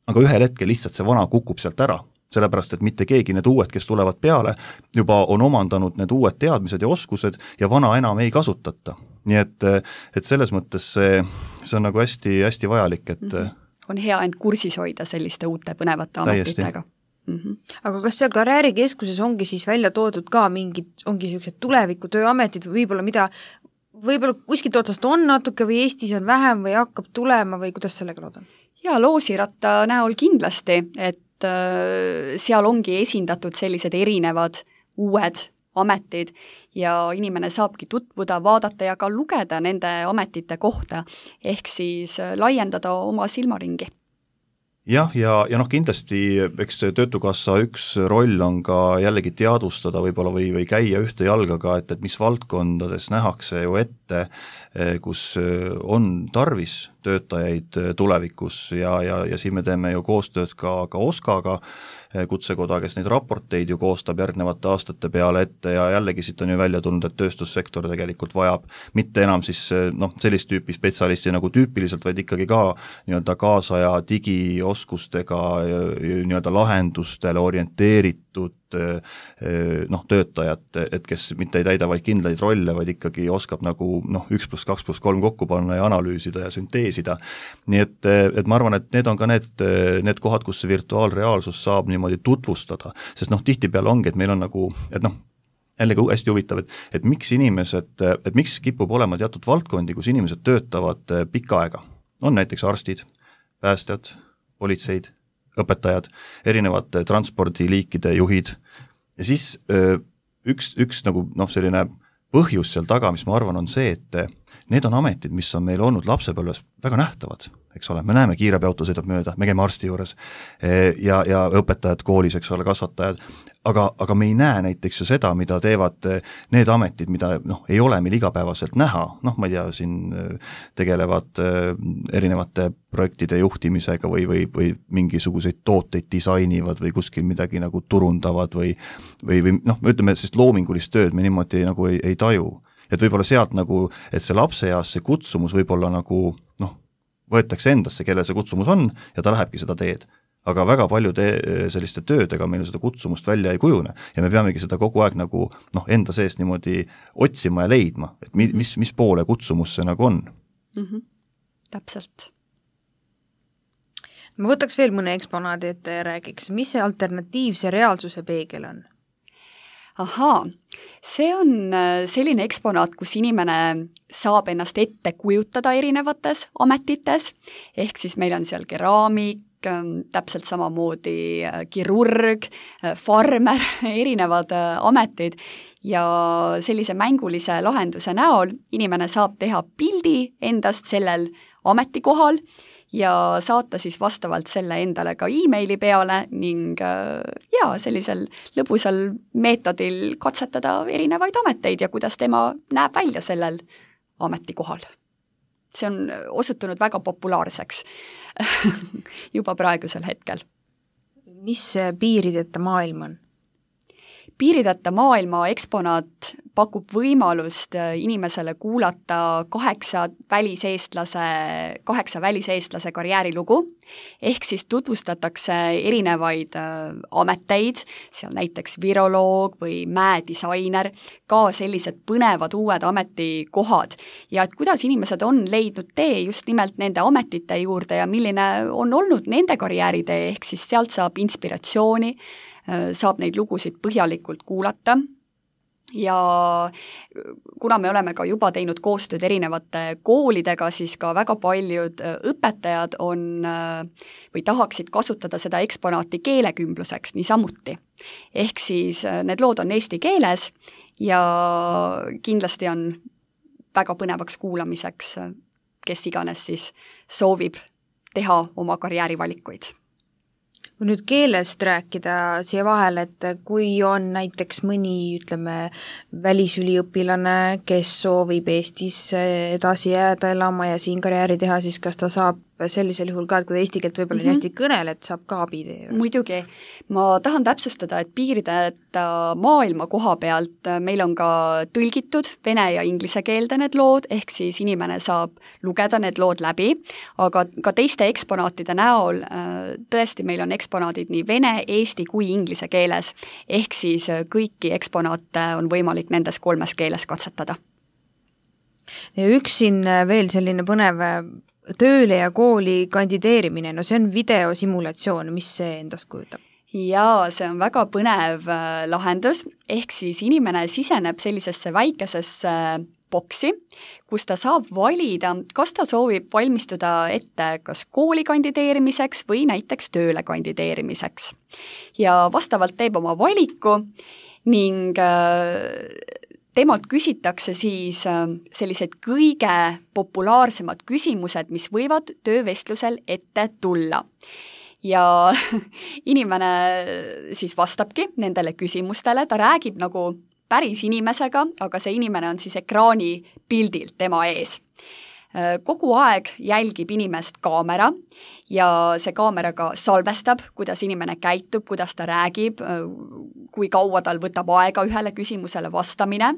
aga ühel hetkel lihtsalt see vana kukub sealt ära, sellepärast et mitte keegi need uued, kes tulevad peale, juba on omandanud need uued teadmised ja oskused ja vana enam ei kasutata. Nii et, et selles mõttes see, see on nagu hästi, hästi vajalik, et mm-hmm. on hea end kursis hoida selliste uute põnevate ametitega. Mm-hmm. Aga kas seal karjäärikeskuses ongi siis välja toodud ka mingid, ongi sellised tuleviku tööametid või võib-olla mida, võib-olla kuskilt otsast on natuke või Eestis on vähem või hakkab tulema või kuidas sellega lood on? Jaa, loosiratta näol kindlasti, et äh, seal ongi esindatud sellised erinevad uued ametid ja inimene saabki tutvuda, vaadata ja ka lugeda nende ametite kohta, ehk siis laiendada oma silmaringi. Jah, ja, ja noh, kindlasti eks Töötukassa üks roll on ka jällegi teadvustada võib-olla või, või käia ühte jalgaga, et, et mis valdkondades nähakse ju ette, kus on tarvis töötajaid tulevikus ja, ja, ja siin me teeme ju koostööd ka, ka Oskaga, kutsekoda, kes neid raporteid ju koostab järgnevate aastate peale ette ja jällegi siit on ju välja tulnud, et tööstussektor tegelikult vajab mitte enam siis noh, sellist tüüpi spetsialisti nagu tüüpiliselt, vaid ikkagi ka nii-öelda kaasaja digioskustega nii-öelda lahendustele orienteeritud noh, töötajad, et kes mitte ei täida vaid kindlaid rolle, vaid ikkagi oskab nagu noh, üks pluss kaks pluss kolm kokku panna ja analüüsida ja synteesida. Nii et, et ma arvan, et need on ka need, need kohad, kus see virtuaalreaalsus saab niimoodi tutvustada, sest noh, tihtipeale ongi, et meil on nagu, et noh, jällegi hästi huvitav, et, et miks inimesed, et miks kipub olema teatud valdkondi, kus inimesed töötavad pikka aega. On näiteks arstid, päästjad, politseid, õpetajad, erinevate transpordiliikide juhid ja siis üks, üks nagu noh, selline põhjus seal taga, mis ma arvan, on see, et need on ametid, mis on meil olnud lapsepõlves väga nähtavad, eks ole, me näeme kiirabiauto sõidab mööda, me käime arsti juures ja, ja õpetajad koolis, eks ole, kasvatajad, aga, aga me ei näe näiteks ju seda, mida teevad need ametid, mida noh, ei ole meil igapäevaselt näha, noh, ma ei tea, siin tegelevad erinevate projektide juhtimisega või, või, või mingisuguseid tooteid disainivad või kuskil midagi nagu turundavad või, või, või noh, ütleme, sest loomingulist tööd me niimoodi nagu ei, ei taju. Et võib-olla sealt nagu, et see lapse jaas see kutsumus võib-olla nagu noh, võetakse endasse, kellel see kutsumus on ja ta lähebki seda teed. Aga väga palju te, selliste töödega meil seda kutsumust välja ei kujune ja me peamegi seda kogu aeg nagu noh, enda seest niimoodi otsima ja leidma, et mis, mis poole kutsumus see nagu on. Mm-hmm. Täpselt. Ma võtaks veel mõne eksponaadi, et räägiks, mis see alternatiivse reaalsuse peegel on? Ahaa, see on selline eksponaat, kus inimene saab ennast ette kujutada erinevates ametites, ehk siis meil on seal keraamik, täpselt samamoodi kirurg, farmer, erinevad ametid ja sellise mängulise lahenduse näol inimene saab teha pildi endast sellel ametikohal ja saata siis vastavalt selle endale ka e-maili peale ning ja sellisel lõbusal meetodil katsetada erinevaid ameteid ja kuidas tema näeb välja sellel ametikohal. See on osutunud väga populaarseks juba praegusel hetkel. Mis piirideta maailm on? Piirideta maailma eksponaat pakub võimalust inimesele kuulata kaheksa väliseestlase, kaheksa väliseestlase karjäärilugu, ehk siis tutvustatakse erinevaid ameteid, seal näiteks viroloog või mäedisainer, ka sellised põnevad uued ametikohad ja et kuidas inimesed on leidnud tee just nimelt nende ametite juurde ja milline on olnud nende karjääritee, ehk siis sealt saab inspiratsiooni, saab neid lugusid põhjalikult kuulata ja kuna me oleme ka juba teinud koostööd erinevate koolidega, siis ka väga paljud õpetajad on või tahaksid kasutada seda eksponaati keelekümbluseks niisamuti. Ehk siis need lood on eesti keeles ja kindlasti on väga põnevaks kuulamiseks, kes iganes siis soovib teha oma karjäärivalikuid. Kui nüüd keelest rääkida siia vahel, et kui on näiteks mõni, ütleme, välisüliõpilane, kes soovib Eestis edasi jääda elama ja siin karjääri teha, siis kas ta saab sellisel juhul ka, et kui ta eesti keelt võib-olla mm-hmm. hästi kõnel, et saab ka abi teie? Muidugi. Ma tahan täpsustada, et piirideta maailma koha pealt meil on ka tõlgitud vene ja inglise keelde need lood, ehk siis inimene saab lugeda need lood läbi, aga ka teiste eksponaatide näol tõesti meil on eksponaadid nii vene, eesti kui inglise keeles, ehk siis kõiki eksponaate on võimalik nendes kolmes keeles katsetada. Ja üks siin veel selline põnev tööle ja kooli kandideerimine, no see on videosimulatsioon, mis see endast kujutab? Jaa, see on väga põnev lahendus, ehk siis inimene siseneb sellisesse väikesesse boksi, kus ta saab valida, kas ta soovib valmistuda ette kas kooli kandideerimiseks või näiteks tööle kandideerimiseks. Ja vastavalt teeb oma valiku ning temalt küsitakse siis sellised kõige populaarsemad küsimused, mis võivad töövestlusel ette tulla. Ja inimene siis vastabki nendele küsimustele, ta räägib nagu päris inimesega, aga see inimene on siis ekraani pildilt tema ees. Kogu aeg jälgib inimest kaamera ja see kaamera ka salvestab, kuidas inimene käitub, kuidas ta räägib, kui kaua tal võtab aega ühele küsimusele vastamine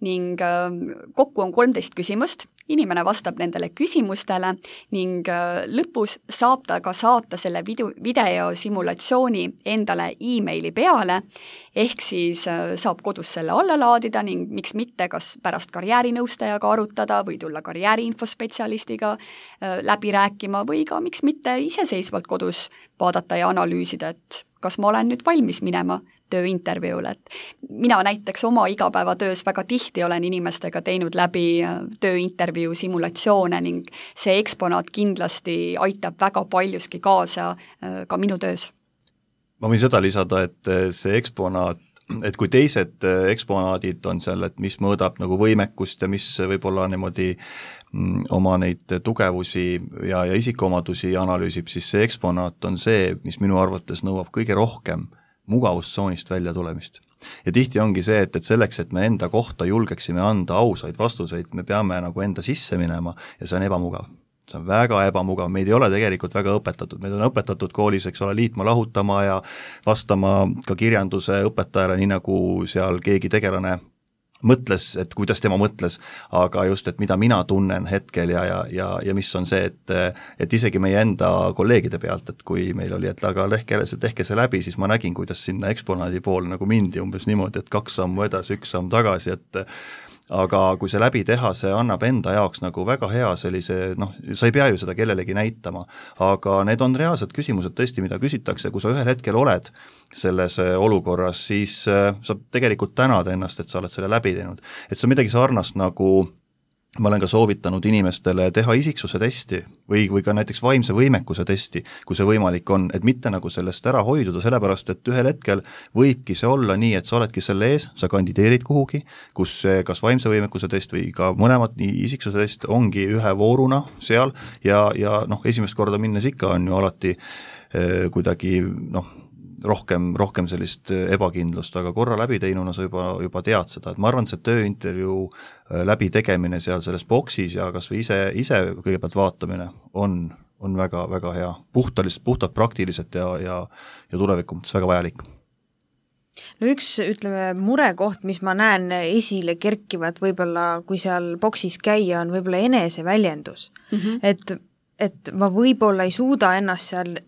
ning kokku on kolmteist küsimust, inimene vastab nendele küsimustele ning lõpus saab ta ka saata selle video, videosimulatsiooni endale e-maili peale, ehk siis saab kodus selle alla laadida ning miks mitte kas pärast karjäärinõustajaga arutada või tulla karjääriinfospetsialistiga läbi rääkima või ka miks mitte iseseisvalt kodus vaadata ja analüüsida, et kas ma olen nüüd valmis minema tööintervjuule, et mina näiteks oma igapäevatöös väga tihti olen inimestega teinud läbi tööintervjuu simulatsioone ning see eksponaat kindlasti aitab väga paljuski kaasa ka minu töös. Ma võin seda lisada, et see eksponaat, et kui teised eksponaadid on seal, et mis mõõdab nagu võimekust ja mis võib-olla niimoodi oma neid tugevusi ja, ja isikuomadusi analüüsib, siis see eksponaat on see, mis minu arvates nõuab kõige rohkem mugavustsoonist välja tulemist. Ja tihti ongi see, et, et selleks, et me enda kohta julgeksime anda ausaid vastuseid, me peame nagu enda sisse minema ja see on ebamugav. See on väga ebamugav, meid ei ole tegelikult väga õpetatud, meid on õpetatud koolis, eks ole, liitma, lahutama ja vastama ka kirjanduse õpetajale, nii nagu seal keegi tegelane mõtles, et kuidas tema mõtles, aga just, et mida mina tunnen hetkel ja, ja, ja, ja mis on see, et, et isegi meie enda kolleegide pealt, et kui meil oli, et aga tehke, tehke see läbi, siis ma nägin, kuidas sinna eksponaadi pool nagu mindi umbes niimoodi, et kaks sammu edasi, üks samm tagasi, et aga kui see läbi teha, see annab enda jaoks nagu väga hea sellise, noh, sa ei pea ju seda kellelegi näitama, aga need on reaalsed küsimused tõesti, mida küsitakse, kui sa ühel hetkel oled selles olukorras, siis sa tegelikult tänad ennast, et sa oled selle läbi teinud. Et see on midagi sarnast nagu ma olen ka soovitanud inimestele teha isiksuse testi või, või ka näiteks vaimse võimekuse testi, kui see võimalik on, et mitte nagu sellest ära hoiduda, sellepärast et ühel hetkel võibki see olla nii, et sa oledki selle ees, sa kandideerid kuhugi, kus kas vaimse võimekuse test või ka mõlemad nii isiksuse test ongi ühe vooruna seal ja, ja noh, esimest korda minnes ikka on ju alati eh, kuidagi noh, rohkem, rohkem sellist ebakindlust, aga korra läbi teinuna sa juba, juba tead seda, et ma arvan, et see tööintervjuu läbi tegemine seal selles boksis ja kas või ise, ise kõigepealt vaatamine on, on väga, väga hea, puhtalist, puhtalt praktiliselt ja, ja, ja tuleviku mõttes väga vajalik. No üks, ütleme, murekoht, mis ma näen esile kerkivat võib-olla, kui seal boksis käia, on võib-olla eneseväljendus. Mm-hmm. Et, et ma võib-olla ei suuda ennast seal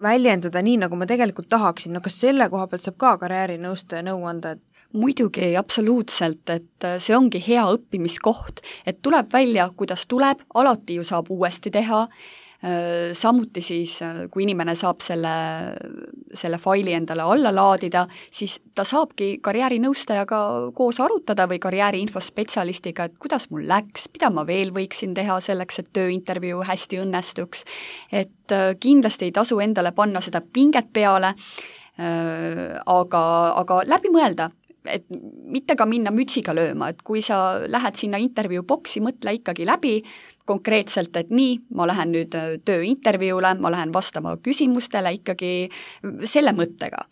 väljendada nii, nagu ma tegelikult tahaksin, no kas selle koha pealt saab ka karjäärinõustaja nõu anda, et muidugi, absoluutselt, et see ongi hea õppimiskoht, et tuleb välja, kuidas tuleb, alati ju saab uuesti teha, Samuti siis, kui inimene saab selle, selle faili endale alla laadida, siis ta saabki karjäärinõustajaga koos arutada või karjääriinfospetsialistiga, et kuidas mul läks, mida ma veel võiksin teha selleks, et tööintervjuu hästi õnnestuks. Et kindlasti ei tasu endale panna seda pinget peale, aga, aga läbi mõelda, et mitte ka minna mütsiga lööma, et kui sa lähed sinna intervjuu boksi, mõtle ikkagi läbi konkreetselt, et nii, ma lähen nüüd tööintervjuule, ma lähen vastama küsimustele ikkagi selle mõttega.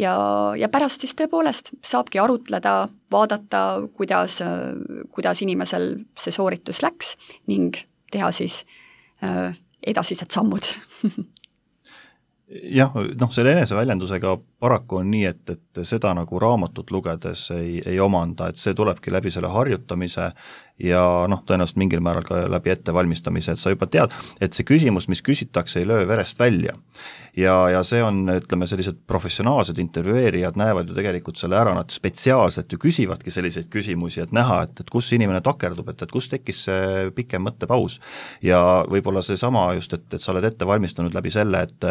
Ja, ja pärast siis tõepoolest saabki arutleda, vaadata, kuidas, kuidas inimesel see sooritus läks ning teha siis edasised sammud. Jah, noh, selle eneseväljendusega paraku on nii, et, et seda nagu raamatut lugedes ei, ei omanda, et see tulebki läbi selle harjutamise ja noh, tõenäoliselt mingil määral ka läbi ettevalmistamise, et sa juba tead, et see küsimus, mis küsitakse, ei löö verest välja. Ja, ja see on, ütleme, sellised professionaalsed intervjueerijad näevad ju tegelikult selle ära, nad spetsiaalselt ju küsivadki selliseid küsimusi, et näha, et, et kus inimene takerdub, et, et kus tekkis see pikem mõttepaus. Ja võib-olla see sama just, et, et sa oled ette valmistanud läbi selle, et,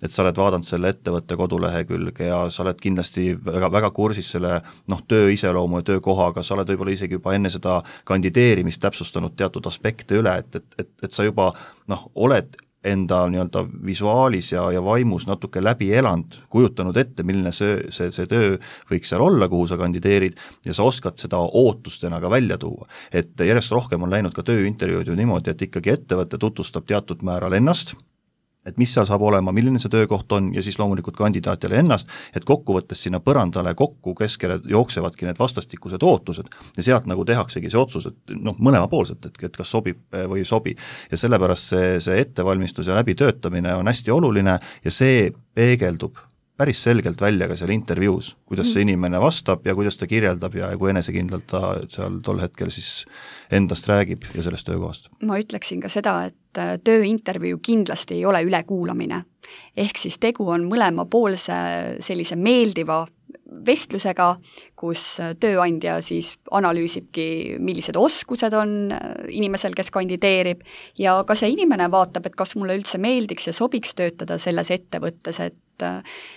et sa oled vaadanud selle ettevõtte kodulehekülge ja sa oled kindlasti väga, väga kursis selle noh, töö iseloomu ja töökohaga, sa oled võib-olla isegi juba enne seda kandideerimist täpsustanud teatud aspekte üle, et, et, et, et sa juba noh, oled enda nii-öelda visuaalis ja, ja vaimus natuke läbi elanud, kujutanud ette, milline see, see, see töö võiks seal olla, kuhu sa kandideerid ja sa oskad seda ootustena ka välja tuua. Et järjest rohkem on läinud ka tööintervjuud ju niimoodi, et ikkagi ettevõte tutvustab teatud määral ennast, et mis seal saab olema, milline see töökoht on ja siis loomulikult kandidaatile ennast, et kokkuvõttes sinna põrandale kokku keskele jooksevadki need vastastikused ootused ja sealt nagu tehaksegi see otsus, et noh, mõlemapoolselt, et, et kas sobib või ei sobi. Ja sellepärast see, see ettevalmistus ja läbitöötamine on hästi oluline ja see peegeldub päris selgelt välja ka seal intervjuus, kuidas see inimene vastab ja kuidas ta kirjeldab ja kui enesekindlalt ta seal tol hetkel siis endast räägib ja sellest töökohast. Ma ütleksin ka seda, et tööintervjuu kindlasti ei ole ülekuulamine. Ehk siis tegu on mõlemapoolse sellise meeldiva vestlusega, kus tööandja siis analüüsibki, millised oskused on inimesel, kes kandideerib ja ka see inimene vaatab, et kas mulle üldse meeldiks ja sobiks töötada selles ettevõttes, et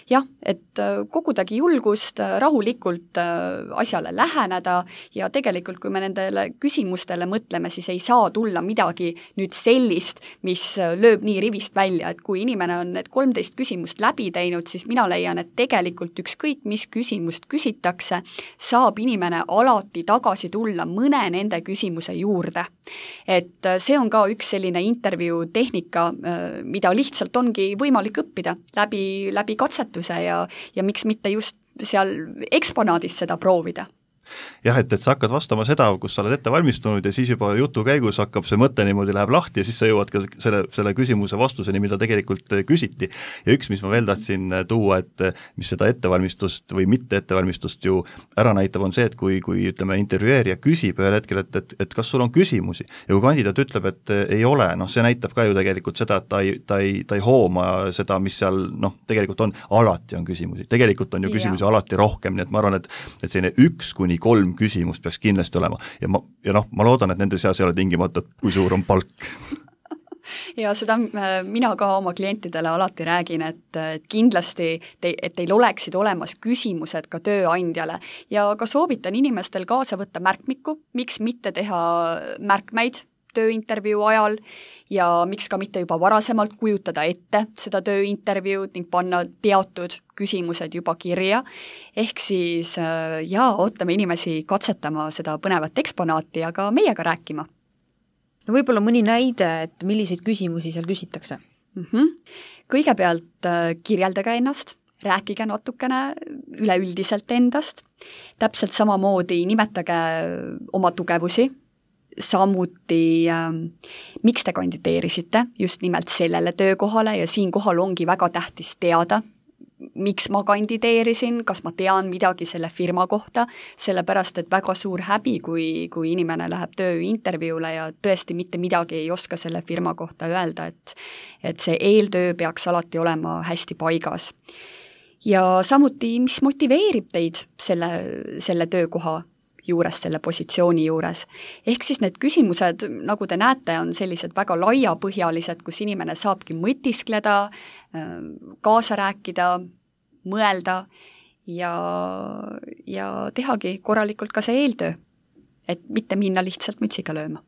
jah, et kogudagi julgust rahulikult asjale läheneda ja tegelikult, kui me nendele küsimustele mõtleme, siis ei saa tulla midagi nüüd sellist, mis lööb nii rivist välja, et kui inimene on need kolmteist küsimust läbi teinud, siis mina leian, et tegelikult ükskõik, mis küsimust küsitakse, saab inimene alati tagasi tulla mõne nende küsimuse juurde. Et see on ka üks selline intervjuu tehnika, mida lihtsalt ongi võimalik õppida läbi läbi katsetuse ja, ja miks mitte just seal eksponaadis seda proovida. Jah, et, et sa hakkad vastama seda, kus sa oled ette valmistunud ja siis juba jutu käigus hakkab see mõte niimoodi läheb lahti ja siis sa jõuad ka selle, selle küsimuse vastuseni, mida tegelikult küsiti. Ja üks, mis ma veel tahtsin tuua, et mis seda ettevalmistust või mitte ettevalmistust ju ära näitab, on see, et kui, kui ütleme, intervjueerija küsib ühel hetkel, et, et, et kas sul on küsimusi ja kui kandidaat ütleb, et ei ole, noh, see näitab ka ju tegelikult seda, et ta ei, ta ei, ta ei hooma seda, mis seal, noh, tegelikult on, alati on küsimusi. Tegelikult on ju küsimusi ja. Alati rohkem, nii et ma arvan, et, et selline üks kuni kolm küsimust peaks kindlasti olema ja, ma, ja noh, ma loodan, et nende seas ei ole tingimata, kui suur on palk. Ja seda mina ka oma klientidele alati räägin, et, et kindlasti, te, et teil oleksid olemas küsimused ka tööandjale ja ka soovitan inimestel kaasa võtta märkmikku, miks mitte teha märkmeid tööintervjuu ajal ja miks ka mitte juba varasemalt kujutada ette seda tööintervjuud ning panna teatud küsimused juba kirja. Ehk siis jaa, ootame inimesi katsetama seda põnevat eksponaati ja ka meiega rääkima. No võib-olla mõni näide, et milliseid küsimusi seal küsitakse? Mm-hmm. Kõigepealt kirjeldage ennast, rääkige natukene üleüldiselt endast, täpselt samamoodi nimetage oma tugevusi, samuti äh, miks te kandideerisite just nimelt sellele töökohale ja siinkohal ongi väga tähtis teada, miks ma kandideerisin, kas ma tean midagi selle firma kohta, sellepärast et väga suur häbi, kui, kui inimene läheb tööintervjuule ja tõesti mitte midagi ei oska selle firma kohta öelda, et, et see eeltöö peaks alati olema hästi paigas. Ja samuti, mis motiveerib teid selle, selle töökoha juures, selle positsiooni juures. Ehk siis need küsimused, nagu te näete, on sellised väga laiapõhjalised, kus inimene saabki mõtiskleda, kaasa rääkida, mõelda ja, ja tehagi korralikult ka see eeltöö, et mitte minna lihtsalt mütsiga lööma.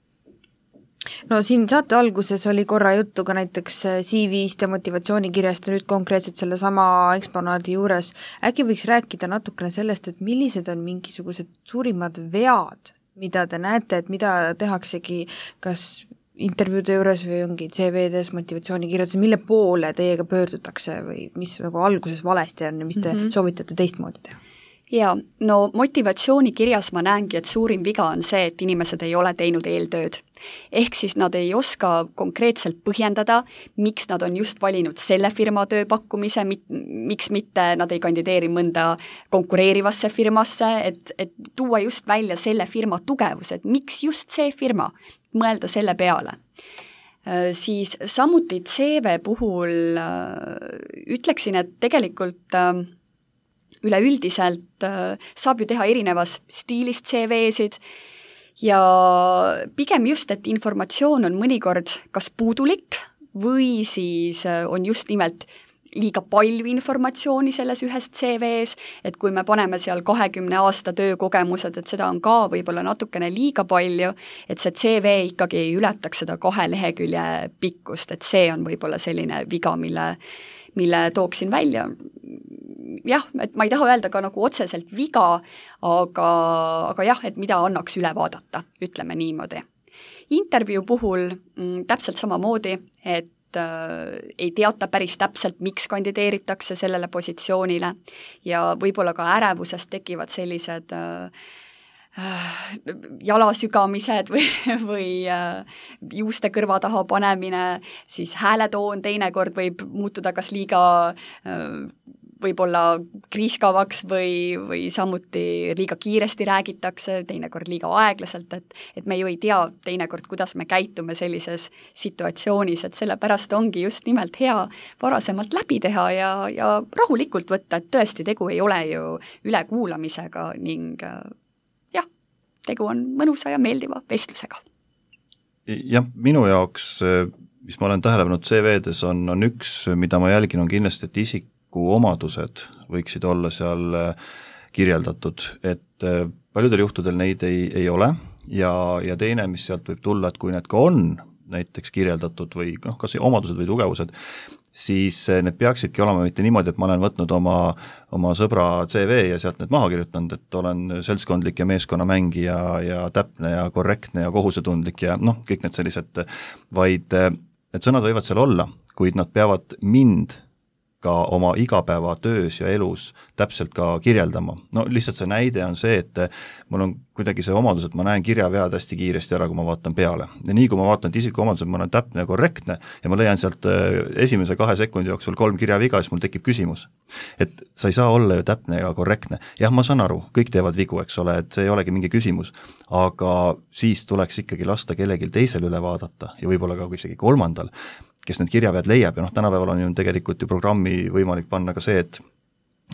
No siin saate alguses oli korra juttu ka näiteks C V-st ja motivatsioonikirjast ja nüüd konkreetselt selle sama eksponaadi juures. Äkki võiks rääkida natukene sellest, et millised on mingisugused suurimad vead, mida te näete, et mida tehaksegi kas intervjuude juures või ongi C V-des, motivatsioonikirjades, mille poole teiega pöördutakse või mis nagu alguses valesti on ja mis te mm-hmm. soovitate teistmoodi teha? Jaa, no motivatsioonikirjas ma näengi, et suurim viga on see, et inimesed ei ole teinud eeltööd. Ehk siis nad ei oska konkreetselt põhjendada, miks nad on just valinud selle firma tööpakkumise, miks mitte nad ei kandideeri mõnda konkureerivasse firmasse, et, et tuua just välja selle firma tugevus, et miks just see firma, mõelda selle peale. Siis samuti C V puhul ütleksin, et tegelikult üleüldiselt saab ju teha erinevas stiilist C V-sid ja pigem just, et informatsioon on mõnikord kas puudulik või siis on just nimelt liiga palju informatsiooni selles ühes C V-s, et kui me paneme seal kahekümne aasta töökogemused, et seda on ka võib-olla natukene liiga palju, et see C V ikkagi ei ületaks seda kahe lehekülje pikkust, et see on võib-olla selline viga, mille, mille tooksin välja. Jah, et ma ei taha öelda ka nagu otseselt viga, aga, aga jah, et mida annaks üle vaadata, ütleme niimoodi. Intervjuu puhul m, täpselt samamoodi, et äh, ei teata päris täpselt, miks kandideeritakse sellele positsioonile ja võib-olla ka ärevusest tekivad sellised äh, jalasügamised või, või juuste kõrva taha panemine, siis hääletoon teinekord võib muutuda kas liiga võib-olla kriiskavaks või, või samuti liiga kiiresti räägitakse, teinekord liiga aeglaselt, et, et me ju ei tea teinekord, kuidas me käitume sellises situatsioonis, et sellepärast ongi just nimelt hea varasemalt läbi teha ja, ja rahulikult võtta, et tõesti tegu ei ole ju ülekuulamisega ning jah, tegu on mõnusa ja meeldiva vestlusega. Jah, minu jaoks, mis ma olen tähele pannud C V-des, on, on üks, mida ma jälgin, on kindlasti, et isik omadused võiksid olla seal kirjeldatud, et paljudel juhtudel neid ei, ei ole ja, ja teine, mis sealt võib tulla, et kui need ka on näiteks kirjeldatud või noh, kas omadused või tugevused, siis need peaksidki olema mitte niimoodi, et ma olen võtnud oma, oma sõbra C V ja sealt need maha kirjutanud, et olen seltskondlik ja meeskonnamängija ja täpne ja korrektne ja kohusetundlik ja noh, kõik need sellised, vaid need sõnad võivad seal olla, kuid nad peavad mind ka oma igapäeva töös ja elus täpselt ka kirjeldama. No lihtsalt see näide on see, et mul on kuidagi see omadus, et ma näen kirjavead hästi kiiresti ära, kui ma vaatan peale. Ja nii, kui ma vaatan isiku omadused, ma olen täpne ja korrektne ja ma leian sealt esimese kahe sekundi jooksul kolm kirjaviga, siis mul tekib küsimus. Et sa ei saa olla ju täpne ja korrektne. Jah, ma saan aru, kõik teevad vigu, eks ole, et see ei olegi mingi küsimus, aga siis tuleks ikkagi lasta kellelgi teisel üle vaadata ja võib-olla ka isegi kolmandal, kes need kirjavead leiab ja noh, tänapäeval on ju tegelikult ju programmi võimalik panna ka see, et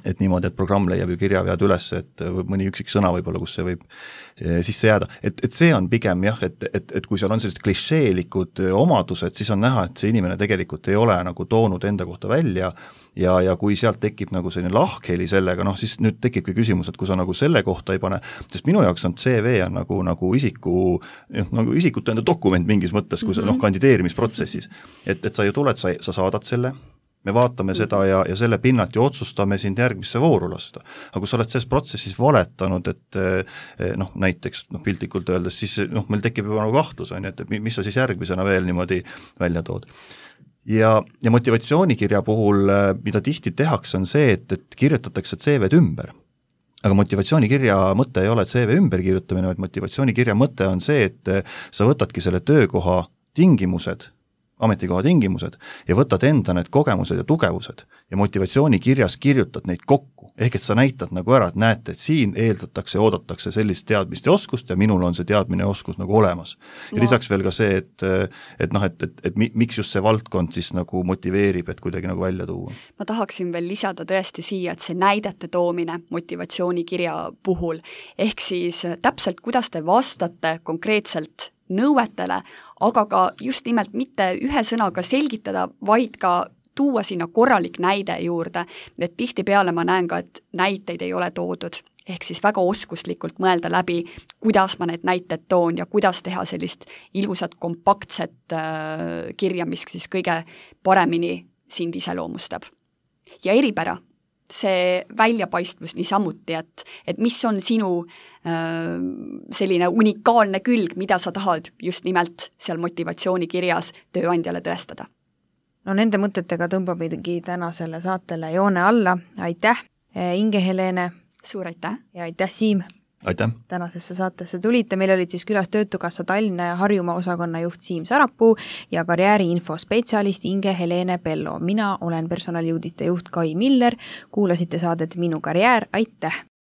et niimoodi, et programm leiab ju kirjavead üles, et mõni üksik sõna võib-olla, kus see võib sisse jääda. Et, et see on pigem jah, et, et, et kui seal on sellised klišeelikud omadused, siis on näha, et see inimene tegelikult ei ole nagu toonud enda kohta välja ja, ja kui sealt tekib nagu selline lahkheli sellega, noh siis nüüd tekibki küsimus, et kui sa nagu selle kohta ei pane, sest minu jaoks on C V on nagu, nagu isiku, nagu isikut enda dokument mingis mõttes, kui sa mm-hmm. noh, kandideerimisprotsessis. Et, et sa ju tuled, sa, sa saadad selle, me vaatame seda ja, ja selle pinnalt ju otsustame sind järgmisse vooru lasta. Aga kui sa oled selles protsessis valetanud, et noh, näiteks noh, piltlikult öeldes, siis noh, meil tekib juba nagu kahtlus, on, et mis sa siis järgmisena veel niimoodi välja tood. Ja, ja motivatsioonikirja puhul, mida tihti tehakse, on see, et, et kirjutatakse C V-d ümber. Aga motivatsioonikirja mõte ei ole C V ümber kirjutamine, vaid motivatsioonikirja mõte on see, et sa võtadki selle töökoha tingimused ametikoha tingimused ja võtad enda need kogemused ja tugevused ja motivatsioonikirjas kirjutad neid kokku, ehk et sa näitad nagu ära, et näete, et siin eeldatakse, oodatakse sellist teadmist ja oskust ja minul on see teadmine ja oskus nagu olemas. Ja no. lisaks veel ka see, et, et noh, et, et, et miks just see valdkond siis nagu motiveerib, et kuidagi nagu välja tuua. Ma tahaksin veel lisada tõesti siia, et see näidete toomine motivatsioonikirja puhul, ehk siis täpselt, kuidas te vastate konkreetselt nõuetele, aga ka just nimelt mitte ühe sõnaga selgitada, vaid ka tuua sinna korralik näide juurde, et tihtipeale ma näen ka, et näiteid ei ole toodud, ehk siis väga oskuslikult mõelda läbi, kuidas ma need näited toon ja kuidas teha sellist ilusat kompaktset äh, kirja, mis siis kõige paremini sind iseloomustab. Ja eripära, see väljapaistvus niisamuti, et, et mis on sinu äh, selline unikaalne külg, mida sa tahad just nimelt seal motivatsioonikirjas tööandjale tõestada. No nende mõtetega tõmbabidki tänasele saatele joone alla, aitäh Inge-Helene, suur aitäh ja aitäh Siim! Aitäh! Tänasesse saatesse tulite, meil olid siis külas Töötukassa Tallinna ja Harjumaa osakonna juht Siim Sarapuu ja karjääriinfo spetsialist Inge-Helene Pello. Mina olen personalijuudiste juht Kai Miller, kuulasite saadet Minu karjäär, aitäh!